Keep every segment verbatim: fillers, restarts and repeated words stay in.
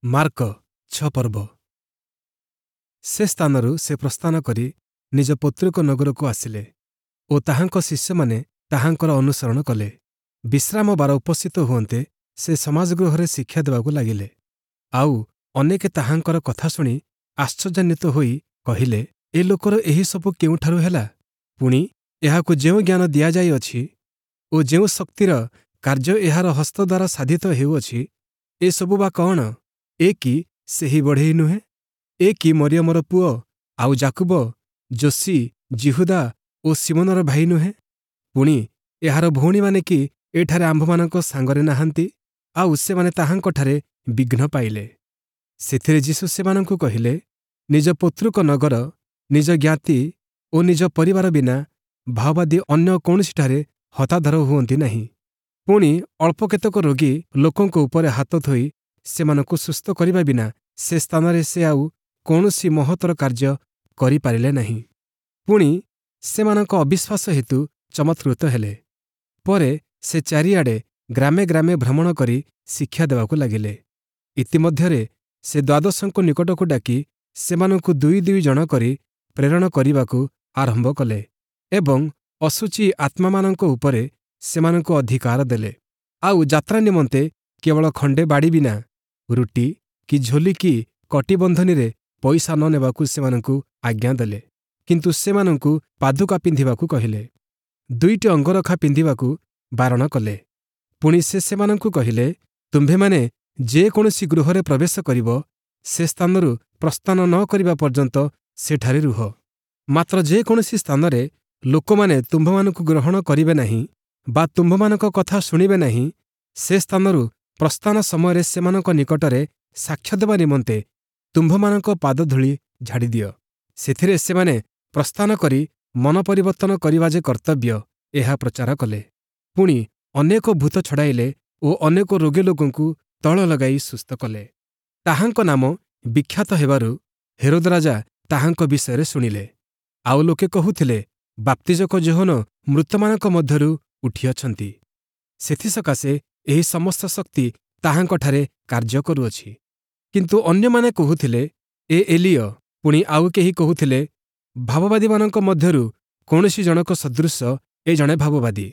Mark ଛଅ ପର୍ବ ସେ ସ୍ଥାନରୁ ସେ ପ୍ରସ୍ଥାନ କରି ନିଜ ପୈତୃକ ନଗରକୁ ଆସିଲେ ଓ ତାହାଙ୍କ ଶିଷ୍ୟମାନେ ତାହାଙ୍କର ଅନୁସରଣ କଲେ। ବିଶ୍ରାମ ବାର ଉପସ୍ଥିତ ହୁଅନ୍ତେ ସେ ସମାଜଗୃହରେ ଶିକ୍ଷା ଦେବାକୁ ଲାଗିଲେ। ଆଉ ଅନେକେ ତାହାଙ୍କର କଥା ଶୁଣି ଆଶ୍ଚର୍ଯ୍ୟାନ୍ୱିତ ହୋଇ କହିଲେ, ଏ ଲୋକର ଏହି ସବୁ କେଉଁଠାରୁ ହେଲା? ପୁଣି ଏହାକୁ ଯେଉଁ ଜ୍ଞାନ ଦିଆଯାଇଅଛି ଓ ଯେଉଁ ଶକ୍ତିର କାର୍ଯ୍ୟ ଏହାର ହସ୍ତ ଦ୍ୱାରା ସାଧିତ ହେଉଅଛି, ଏସବୁ ବା କଅଣ? ଏ କି ସେହି ବଢ଼େଇ ନୁହେଁ? ଏ କି ମରିୟମର ପୁଅ, ଆଉ ଯାକୁବ, ଯୋଷି, ଯିହୁଦା ଓ ଶିମୋନର ଭାଇ ନୁହେଁ? ପୁଣି ଏହାର ଭଉଣୀମାନେ କି ଏଠାରେ ଆମ୍ଭମାନଙ୍କ ସାଙ୍ଗରେ ନାହାନ୍ତି? ଆଉ ସେମାନେ ତାହାଙ୍କଠାରେ ବିଘ୍ନ ପାଇଲେ। ସେଥିରେ ଯୀଶୁ ସେମାନଙ୍କୁ କହିଲେ, ନିଜ ପୈତୃକ ନଗର, ନିଜ ଜ୍ଞାତି ଓ ନିଜ ପରିବାର ବିନା ଭାବବାଦୀ ଅନ୍ୟ କୌଣସିଠାରେ ହତାଦର ହୁଅନ୍ତି ନାହିଁ। ପୁଣି ଅଳ୍ପ କେତେକ ରୋଗୀ ଲୋକଙ୍କ ଉପରେ ହାତ ଥୋଇ ସେମାନଙ୍କୁ ସୁସ୍ଥ କରିବା ବିନା ସେ ସ୍ଥାନରେ ସେ ଆଉ କୌଣସି ମହତ୍ତର କାର୍ଯ୍ୟ କରିପାରିଲେ ନାହିଁ। ପୁଣି ସେମାନଙ୍କ ଅବିଶ୍ୱାସ ହେତୁ ଚମତ୍କୃତ ହେଲେ। ପରେ ସେ ଚାରିଆଡ଼େ ଗ୍ରାମେ ଗ୍ରାମେ ଭ୍ରମଣ କରି ଶିକ୍ଷା ଦେବାକୁ ଲାଗିଲେ। ଇତିମଧ୍ୟରେ ସେ ଦ୍ୱାଦଶଙ୍କ ନିକଟକୁ ଡାକି ସେମାନଙ୍କୁ ଦୁଇ ଦୁଇ ଜଣ କରି ପ୍ରେରଣ କରିବାକୁ ଆରମ୍ଭ କଲେ ଏବଂ ଅଶୁଚି ଆତ୍ମାମାନଙ୍କ ଉପରେ ସେମାନଙ୍କୁ ଅଧିକାର ଦେଲେ। ଆଉ ଯାତ୍ରା ନିମନ୍ତେ କେବଳ ଖଣ୍ଡେ ବାଡ଼ି ବିନା ରୁଟି କି ଝୋଲି କି କଟିବନ୍ଧନୀରେ ପଇସା ନ ନେବାକୁ ସେମାନଙ୍କୁ ଆଜ୍ଞା ଦେଲେ। କିନ୍ତୁ ସେମାନଙ୍କୁ ପାଦୁକା ପିନ୍ଧିବାକୁ କହିଲେ। ଦୁଇଟି ଅଙ୍ଗରଖା ପିନ୍ଧିବାକୁ ବାରଣ କଲେ। ପୁଣି ସେ ସେମାନଙ୍କୁ କହିଲେ, ତୁମ୍ଭେମାନେ ଯେ କୌଣସି ଗୃହରେ ପ୍ରବେଶ କରିବ, ସେ ସ୍ଥାନରୁ ପ୍ରସ୍ଥାନ ନ କରିବା ପର୍ଯ୍ୟନ୍ତ ସେଠାରେ ରୁହ। ମାତ୍ର ଯେ କୌଣସି ସ୍ଥାନରେ ଲୋକମାନେ ତୁମ୍ଭମାନଙ୍କୁ ଗ୍ରହଣ କରିବେ ନାହିଁ ବା ତୁମ୍ଭମାନଙ୍କ କଥା ଶୁଣିବେ ନାହିଁ, ସେ ସ୍ଥାନରୁ ପ୍ରସ୍ଥାନ ସମୟରେ ସେମାନଙ୍କ ନିକଟରେ ସାକ୍ଷ୍ୟ ଦେବା ନିମନ୍ତେ ତୁମ୍ଭମାନଙ୍କ ପାଦଧୂଳି ଝାଡ଼ିଦିଅ। ସେଥିରେ ସେମାନେ ପ୍ରସ୍ଥାନ କରି ମନ ପରିବର୍ତ୍ତନ କରିବା ଯେ କର୍ତ୍ତବ୍ୟ, ଏହା ପ୍ରଚାର କଲେ। ପୁଣି ଅନେକ ଭୂତ ଛଡ଼ାଇଲେ ଓ ଅନେକ ରୋଗୀ ଲୋକଙ୍କୁ ତୈଳ ଲଗାଇ ସୁସ୍ଥ କଲେ। ତାହାଙ୍କ ନାମ ବିଖ୍ୟାତ ହେବାରୁ ହେରୋଦ ରାଜା ତାହାଙ୍କ ବିଷୟରେ ଶୁଣିଲେ। ଆଉ ଲୋକେ କହୁଥିଲେ, ବାପ୍ତିଜକ ଯୋହନ ମୃତମାନଙ୍କ ମଧ୍ୟରୁ ଉଠିଅଛନ୍ତି। ସେଥିସକାଶେ ଏହି ସମସ୍ତ ଶକ୍ତି ତାହାଙ୍କଠାରେ କାର୍ଯ୍ୟ କରୁଅଛି। କିନ୍ତୁ ଅନ୍ୟମାନେ କହୁଥିଲେ, ଏ ଏଲୀୟ। ପୁଣି ଆଉ କେହି କହୁଥିଲେ, ଭାବବାଦୀମାନଙ୍କ ମଧ୍ୟରୁ କୌଣସି ଜଣକ ସଦୃଶ ଏ ଜଣେ ଭାବବାଦୀ।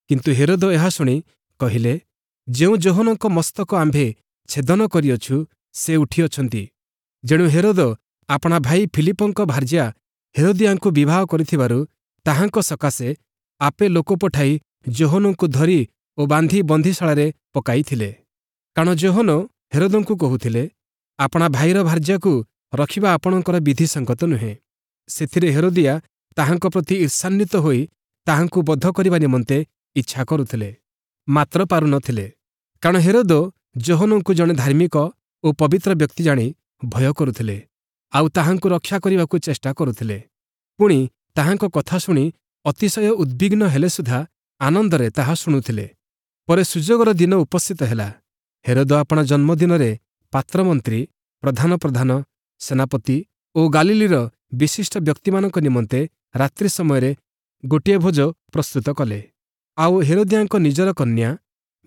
କିନ୍ତୁ ହେରୋଦ ଏହା ଶୁଣି କହିଲେ, ଯେଉଁ ଯୋହନଙ୍କ ମସ୍ତକ ଆମ୍ଭେ ଛେଦନ କରିଅଛୁ, ସେ ଉଠିଅଛନ୍ତି। ଯେଣୁ ହେରୋଦ ଆପଣା ଭାଇ ଫିଲିପଙ୍କ ଭାର୍ଯ୍ୟା ହେରୋଦିଆଙ୍କୁ ବିବାହ କରିଥିବାରୁ ତାହାଙ୍କ ସକାଶେ ଆପେ ଲୋକ ପଠାଇ ଯୋହନଙ୍କୁ ଧରି ଓ ବାନ୍ଧି ବନ୍ଦୀଶାଳାରେ ପକାଇଥିଲେ। କାରଣ ଯୋହନ ହେରୋଦଙ୍କୁ କହୁଥିଲେ, ଆପଣା ଭାଇର ଭାର୍ଯ୍ୟାକୁ ରଖିବା ଆପଣଙ୍କର ବିଧିସଙ୍ଗତ ନୁହେଁ। ସେଥିରେ ହେରୋଦିଆ ତାହାଙ୍କ ପ୍ରତି ଈର୍ଷାନ୍ୱିତ ହୋଇ ତାହାଙ୍କୁ ବଧ କରିବା ନିମନ୍ତେ ଇଚ୍ଛା କରୁଥିଲେ, ମାତ୍ର ପାରୁନଥିଲେ। କାରଣ ହେରୋଦ ଯୋହନଙ୍କୁ ଜଣେ ଧାର୍ମିକ ଓ ପବିତ୍ର ବ୍ୟକ୍ତି ଜାଣି ଭୟ କରୁଥିଲେ, ଆଉ ତାହାଙ୍କୁ ରକ୍ଷା କରିବାକୁ ଚେଷ୍ଟା କରୁଥିଲେ। ପୁଣି ତାହାଙ୍କ କଥା ଶୁଣି ଅତିଶୟ ଉଦ୍ବିଗ୍ନ ହେଲେ ସୁଦ୍ଧା ଆନନ୍ଦରେ ତାହା ଶୁଣୁଥିଲେ। ପରେ ସୁଯୋଗର ଦିନ ଉପସ୍ଥିତ ହେଲା। ହେରୋଦ ଆପଣା ଜନ୍ମଦିନରେ ପାତ୍ରମନ୍ତ୍ରୀ, ପ୍ରଧାନ ପ୍ରଧାନ, ସେନାପତି ଓ ଗାଲିଲୀର ବିଶିଷ୍ଟ ବ୍ୟକ୍ତିମାନଙ୍କ ନିମନ୍ତେ ରାତ୍ରି ସମୟରେ ଗୋଟିଏ ଭୋଜ ପ୍ରସ୍ତୁତ କଲେ। ଆଉ ହେରୋଦିଆଙ୍କ ନିଜର କନ୍ୟା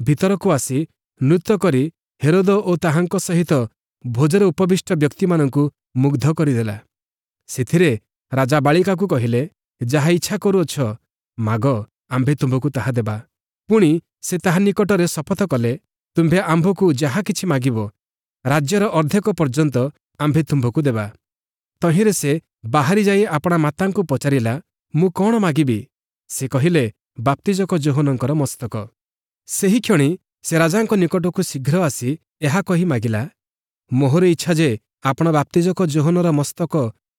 ଭିତରକୁ ଆସି ନୃତ୍ୟ କରି ହେରୋଦ ଓ ତାହାଙ୍କ ସହିତ ଭୋଜରେ ଉପବିଷ୍ଟ ବ୍ୟକ୍ତିମାନଙ୍କୁ ମୁଗ୍ଧ କରିଦେଲା। ସେଥିରେ ରାଜା ବାଳିକାକୁ କହିଲେ, ଯାହା ଇଚ୍ଛା କରୁଅଛ ମାଗ, ଆମ୍ଭେ ତୁମ୍ଭକୁ ତାହା ଦେବା। ପୁଣି ସେ ତାହା ନିକଟରେ ଶପଥ କଲେ, ତୁମ୍ଭେ ଆମ୍ଭକୁ ଯାହା କିଛି ମାଗିବ, ରାଜ୍ୟର ଅର୍ଦ୍ଧେକ ପର୍ଯ୍ୟନ୍ତ ଆମ୍ଭେ ତୁମ୍ଭକୁ ଦେବା। ତହିଁରେ ସେ ବାହାରି ଯାଇ ଆପଣା ମାତାଙ୍କୁ ପଚାରିଲା, ମୁଁ କଅଣ ମାଗିବି? ସେ କହିଲେ, ବାପ୍ତିଜକ ଯୋହନଙ୍କର ମସ୍ତକ। ସେହିକ୍ଷଣି ସେ ରାଜାଙ୍କ ନିକଟକୁ ଶୀଘ୍ର ଆସି ଏହା କହି ମାଗିଲା, ମୋହର ଇଚ୍ଛା ଯେ ଆପଣ ବାପ୍ତିଜକ ଯୋହନର ମସ୍ତକ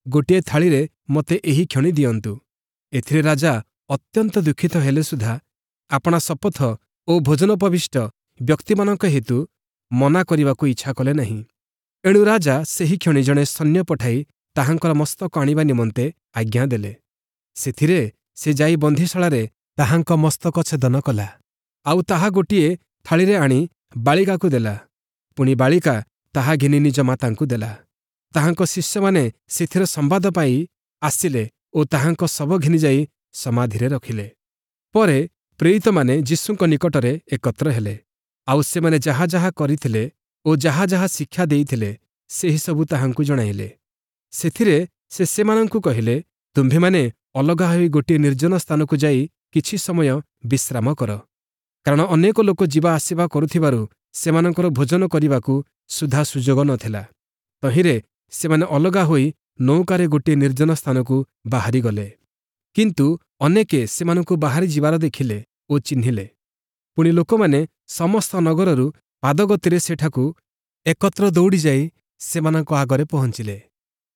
ଗୋଟିଏ ଥାଳିରେ ମୋତେ ଏହି କ୍ଷଣି ଦିଅନ୍ତୁ। ଏଥିରେ ରାଜା ଅତ୍ୟନ୍ତ ଦୁଃଖିତ ହେଲେ ସୁଦ୍ଧା ଆପଣା ଶପଥ ଓ ଭୋଜନୋପବିଷ୍ଟ ବ୍ୟକ୍ତିମାନଙ୍କ ହେତୁ ମନା କରିବାକୁ ଇଚ୍ଛା କଲେ ନାହିଁ। ଏଣୁ ରାଜା ସେହିକ୍ଷଣି ଜଣେ ସୈନ୍ୟ ପଠାଇ ତାହାଙ୍କର ମସ୍ତକ ଆଣିବା ନିମନ୍ତେ ଆଜ୍ଞା ଦେଲେ। ସେଥିରେ ସେ ଯାଇ ବନ୍ଦୀଶାଳାରେ ତାହାଙ୍କ ମସ୍ତକ ଛେଦନ କଲା, ଆଉ ତାହା ଗୋଟିଏ ଥାଳିରେ ଆଣି ବାଳିକାକୁ ଦେଲା। ପୁଣି ବାଳିକା ତାହା ଘେନି ନିଜ ମାତାଙ୍କୁ ଦେଲା। ତାହାଙ୍କ ଶିଷ୍ୟମାନେ ସେଥିର ସମ୍ବାଦ ପାଇ ଆସିଲେ ଓ ତାହାଙ୍କ ଶବ ଘେନିଯାଇ ସମାଧିରେ ରଖିଲେ। ପରେ ପ୍ରେରିତମାନେ ଯୀଶୁଙ୍କ ନିକଟରେ ଏକତ୍ର ହେଲେ, ଆଉ ସେମାନେ ଯାହା ଯାହା କରିଥିଲେ ଓ ଯାହା ଯାହା ଶିକ୍ଷା ଦେଇଥିଲେ ସେହିସବୁ ତାହାଙ୍କୁ ଜଣାଇଲେ। ସେଥିରେ ସେ ସେମାନଙ୍କୁ କହିଲେ, ତୁମ୍ଭେମାନେ ଅଲଗା ହୋଇ ଗୋଟିଏ ନିର୍ଜନ ସ୍ଥାନକୁ ଯାଇ କିଛି ସମୟ ବିଶ୍ରାମ କର। କାରଣ ଅନେକ ଲୋକ ଯିବା ଆସିବା କରୁଥିବାରୁ ସେମାନଙ୍କର ଭୋଜନ କରିବାକୁ ସୁଦ୍ଧା ସୁଯୋଗ ନଥିଲା। ତହିଁରେ ସେମାନେ ଅଲଗା ହୋଇ ନୌକାରେ ଗୋଟିଏ ନିର୍ଜନ ସ୍ଥାନକୁ ବାହାରିଗଲେ। କିନ୍ତୁ ଅନେକେ ସେମାନଙ୍କୁ ବାହାରି ଯିବାର ଦେଖିଲେ ଓ ଚିହ୍ନିଲେ। ପୁଣି ଲୋକମାନେ ସମସ୍ତ ନଗରରୁ ପାଦଗତିରେ ସେଠାକୁ ଏକତ୍ର ଦୌଡ଼ିଯାଇ ସେମାନଙ୍କ ଆଗରେ ପହଞ୍ଚିଲେ।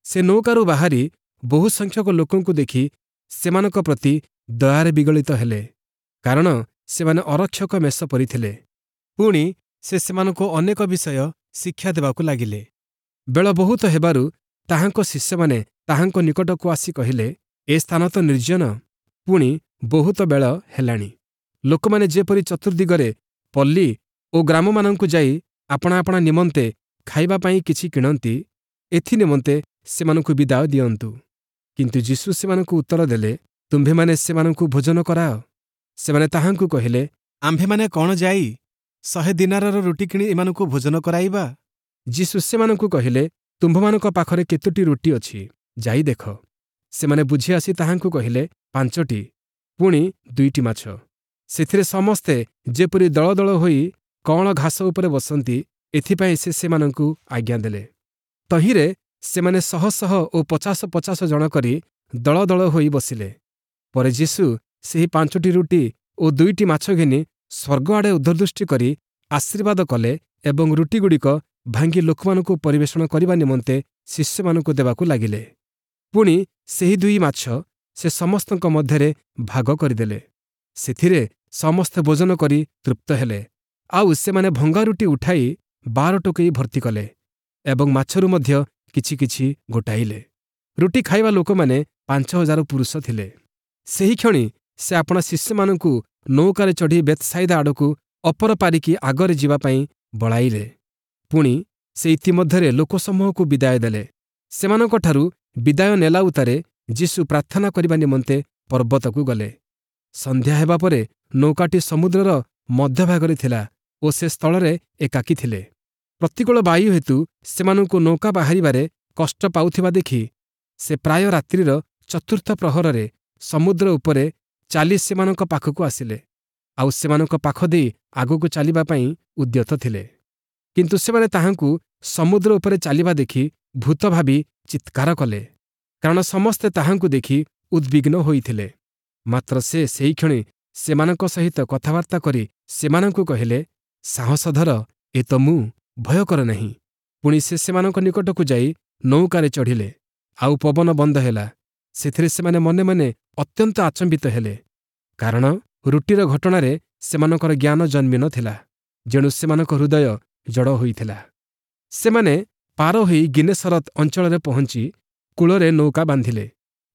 ସେ ନୌକାରୁ ବାହାରି ବହୁ ସଂଖ୍ୟକ ଲୋକଙ୍କୁ ଦେଖି ସେମାନଙ୍କ ପ୍ରତି ଦୟାରେ ବିଗଳିତ ହେଲେ, କାରଣ ସେମାନେ ଅରକ୍ଷକ ମେଷ ପରି ଥିଲେ। ପୁଣି ସେ ସେମାନଙ୍କୁ ଅନେକ ବିଷୟ ଶିକ୍ଷା ଦେବାକୁ ଲାଗିଲେ। ବେଳ ବହୁତ ହେବାରୁ ତାହାଙ୍କ ଶିଷ୍ୟମାନେ ତାହାଙ୍କ ନିକଟକୁ ଆସି କହିଲେ, ଏ ସ୍ଥାନ ତ ନିର୍ଜନ, ପୁଣି ବହୁତ ବେଳ ହେଲାଣି। ଲୋକମାନେ ଯେପରି ଚତୁର୍ଦ୍ଦିଗରେ ପଲ୍ଲୀ ଓ ଗ୍ରାମମାନଙ୍କୁ ଯାଇ ଆପଣା ଆପଣା ନିମନ୍ତେ ଖାଇବା ପାଇଁ କିଛି କିଣନ୍ତି, ଏଥି ନିମନ୍ତେ ସେମାନଙ୍କୁ ବିଦାୟ ଦିଅନ୍ତୁ। କିନ୍ତୁ ଯୀଶୁ ସେମାନଙ୍କୁ ଉତ୍ତର ଦେଲେ, ତୁମ୍ଭେମାନେ ସେମାନଙ୍କୁ ଭୋଜନ କରାଅ। ସେମାନେ ତାହାଙ୍କୁ କହିଲେ, ଆମ୍ଭେମାନେ କ'ଣ ଯାଇ ଶହେ ଦିନାରର ରୁଟି କିଣି ଏମାନଙ୍କୁ ଭୋଜନ କରାଇବା? ଯୀଶୁ ସେମାନଙ୍କୁ କହିଲେ, ତୁମ୍ଭମାନଙ୍କ ପାଖରେ କେତୋଟି ରୁଟି ଅଛି, ଯାଇ ଦେଖ। ସେମାନେ ବୁଝି ଆସି ତାହାଙ୍କୁ କହିଲେ, ପାଞ୍ଚଟି, ପୁଣି ଦୁଇଟି ମାଛ। ସେଥିରେ ସମସ୍ତେ ଯେପରି ଦଳ ଦଳ ହୋଇ କଅଁଳ ଘାସ ଉପରେ ବସନ୍ତି, ଏଥିପାଇଁ ସେ ସେମାନଙ୍କୁ ଆଜ୍ଞା ଦେଲେ। ତହିଁରେ ସେମାନେ ଶହ ଶହ ଓ ପଚାଶ ପଚାଶ ଜଣ କରି ଦଳ ଦଳ ହୋଇ ବସିଲେ। ପରେ ଯୀଶୁ ସେହି ପାଞ୍ଚଟି ରୁଟି ଓ ଦୁଇଟି ମାଛ ଘେନି ସ୍ୱର୍ଗ ଆଡ଼େ ଊର୍ଦ୍ଧ୍ୱଦୃଷ୍ଟି କରି ଆଶୀର୍ବାଦ କଲେ ଏବଂ ରୁଟିଗୁଡ଼ିକ ଭାଙ୍ଗି ଲୋକମାନଙ୍କୁ ପରିବେଷଣ କରିବା ନିମନ୍ତେ ଶିଷ୍ୟମାନଙ୍କୁ ଦେବାକୁ ଲାଗିଲେ। ପୁଣି ସେହି ଦୁଇ ମାଛ ସେ ସମସ୍ତଙ୍କ ମଧ୍ୟରେ ଭାଗ କରିଦେଲେ। ସେଥିରେ ସମସ୍ତେ ଭୋଜନ କରି ତୃପ୍ତ ହେଲେ। ଆଉ ସେମାନେ ଭଙ୍ଗା ରୁଟି ଉଠାଇ ବାର ଟୋକେଇ ଭର୍ତ୍ତି କଲେ ଏବଂ ମାଛରୁ ମଧ୍ୟ କିଛି କିଛି ଗୋଟାଇଲେ। ରୁଟି ଖାଇବା ଲୋକମାନେ ପାଞ୍ଚ ହଜାର ପୁରୁଷ ଥିଲେ। ସେହିକ୍ଷଣି ସେ ଆପଣା ଶିଷ୍ୟମାନଙ୍କୁ ନୌକାରେ ଚଢ଼ି ବେଥ୍‌ସାଇଦା ଆଡ଼କୁ ଅପର ପାରିକି ଆଗରେ ଯିବା ପାଇଁ ବଳାଇଲେ। ପୁଣି ସେ ଇତିମଧ୍ୟରେ ଲୋକସମୂହକୁ ବିଦାୟ ଦେଲେ। ସେମାନଙ୍କଠାରୁ ବିଦାୟ ନେଲା ଉତ୍ତାରେ ଯୀଶୁ ପ୍ରାର୍ଥନା କରିବା ନିମନ୍ତେ ପର୍ବତକୁ ଗଲେ। ସନ୍ଧ୍ୟା ହେବା ପରେ ନୌକାଟି ସମୁଦ୍ରର ମଧ୍ୟଭାଗରେ ଥିଲା ଓ ସେ ସ୍ଥଳରେ ଏକାକୀ ଥିଲେ। ପ୍ରତିକୂଳ ବାୟୁ ହେତୁ ସେମାନଙ୍କୁ ନୌକା ବାହାରିବାରେ କଷ୍ଟ ପାଉଥିବା ଦେଖି ସେ ପ୍ରାୟ ରାତ୍ରିର ଚତୁର୍ଥ ପ୍ରହରରେ ସମୁଦ୍ର ଉପରେ ଚାଲି ସେମାନଙ୍କ ପାଖକୁ ଆସିଲେ, ଆଉ ସେମାନଙ୍କ ପାଖ ଦେଇ ଆଗକୁ ଚାଲିବା ପାଇଁ ଉଦ୍ୟତ ଥିଲେ। କିନ୍ତୁ ସେମାନେ ତାହାଙ୍କୁ ସମୁଦ୍ର ଉପରେ ଚାଲିବା ଦେଖି ଭୂତ ଭାବି ଚିତ୍କାର କଲେ, କାରଣ ସମସ୍ତେ ତାହାଙ୍କୁ ଦେଖି ଉଦ୍ବିଗ୍ନ ହୋଇଥିଲେ। ମାତ୍ର ସେ ସେହିକ୍ଷଣି ସେମାନଙ୍କ ସହିତ କଥାବାର୍ତ୍ତା କରି ସେମାନଙ୍କୁ କହିଲେ, ସାହସ ଧର, ଏ ତ ମୁଁ, ଭୟ କର ନାହିଁ। ପୁଣି ସେ ସେମାନଙ୍କ ନିକଟକୁ ଯାଇ ନୌକାରେ ଚଢ଼ିଲେ, ଆଉ ପବନ ବନ୍ଦ ହେଲା। ସେଥିରେ ସେମାନେ ମନେ ମନେ ଅତ୍ୟନ୍ତ ଆଚମ୍ବିତ ହେଲେ, କାରଣ ରୁଟିର ଘଟଣାରେ ସେମାନଙ୍କର ଜ୍ଞାନ ଜନ୍ମି ନଥିଲା, ଯେଣୁ ସେମାନଙ୍କ ହୃଦୟ ଜଡ଼ ହୋଇଥିଲା। ସେମାନେ ପାର ହୋଇ ଗିନେସରତ ଅଞ୍ଚଳରେ ପହଞ୍ଚି କୂଳରେ ନୌକା ବାନ୍ଧିଲେ।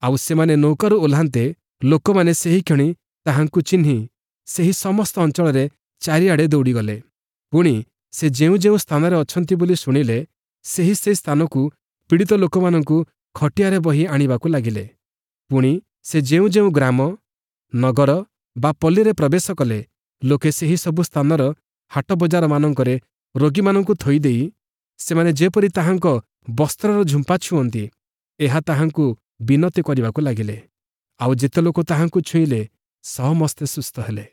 ଆଉ ସେମାନେ ନୌକାରୁ ଓହ୍ଲାନ୍ତେ ଲୋକମାନେ ସେହିକ୍ଷଣି ତାହାଙ୍କୁ ଚିହ୍ନି ସେହି ସମସ୍ତ ଅଞ୍ଚଳରେ ଚାରିଆଡ଼େ ଦୌଡ଼ିଗଲେ। ପୁଣି ସେ ଯେଉଁ ଯେଉଁ ସ୍ଥାନରେ ଅଛନ୍ତି ବୋଲି ଶୁଣିଲେ, ସେହି ସେହି ସ୍ଥାନକୁ ପୀଡ଼ିତ ଲୋକମାନଙ୍କୁ ଖଟିଆରେ ବହି ଆଣିବାକୁ ଲାଗିଲେ। ପୁଣି ସେ ଯେଉଁ ଯେଉଁ ଗ୍ରାମ, ନଗର ବା ପଲ୍ଲୀରେ ପ୍ରବେଶ କଲେ, ଲୋକେ ସେହି ସବୁ ସ୍ଥାନର ହାଟ ବଜାରମାନଙ୍କରେ ରୋଗୀମାନଙ୍କୁ ଥୋଇଦେଇ ସେମାନେ ଯେପରି ତାହାଙ୍କ ବସ୍ତ୍ରର ଝୁମ୍ପା ଛୁଅନ୍ତି, ଏହା ତାହାଙ୍କୁ ବିନତି କରିବାକୁ ଲାଗିଲେ। ଆଉ ଯେତେ ଲୋକ ତାହାଙ୍କୁ ଛୁଇଁଲେ, ସମସ୍ତେ ସୁସ୍ଥ ହେଲେ।